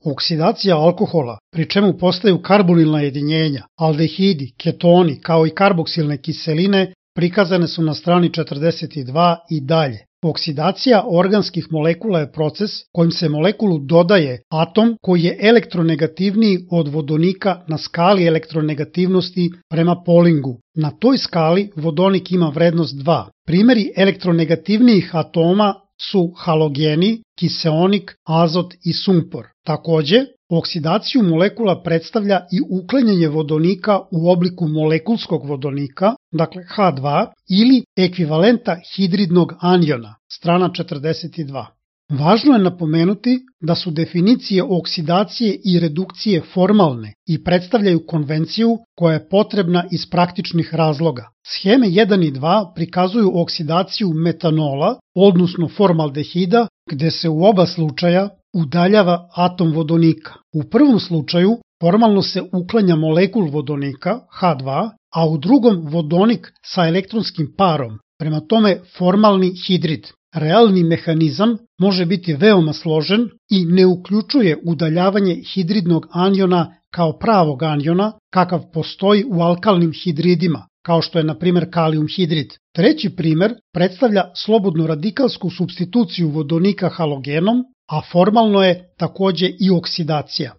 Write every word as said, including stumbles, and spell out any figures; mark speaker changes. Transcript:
Speaker 1: Oksidacija alkohola, pri čemu postaju karbonilna jedinjenja, aldehidi, ketoni kao i karboksilne kiseline prikazane su na strani četrdeset dva i dalje. Oksidacija organskih molekula je proces kojim se molekulu dodaje atom koji je elektronegativniji od vodonika na skali elektronegativnosti prema Paulingu. Na toj skali vodonik ima vrednost dva. Primeri elektronegativnijih atoma su halogeni, kiseonik, azot i sumpor. Takođe, oksidaciju molekula predstavlja i uklanjanje vodonika u obliku molekulskog vodonika, dakle ha dva, ili ekvivalenta hidridnog aniona, strana četrdeset dva. Važno je napomenuti da su definicije oksidacije i redukcije formalne i predstavljaju konvenciju koja je potrebna iz praktičnih razloga. Sheme jedan i dva prikazuju oksidaciju metanola, odnosno formaldehida, gde se u oba slučaja udaljava atom vodonika. U prvom slučaju formalno se uklanja molekul vodonika, ha dva, a u drugom vodonik sa elektronskim parom, prema tome formalni hidrid. Realni mehanizam može biti veoma složen i ne uključuje udaljavanje hidridnog aniona kao pravog aniona, kakav postoji u alkalnim hidridima, kao što je na primjer kalijum hidrid. Treći primer predstavlja slobodnu radikalsku supstituciju vodonika halogenom, a formalno je takođe i oksidacija.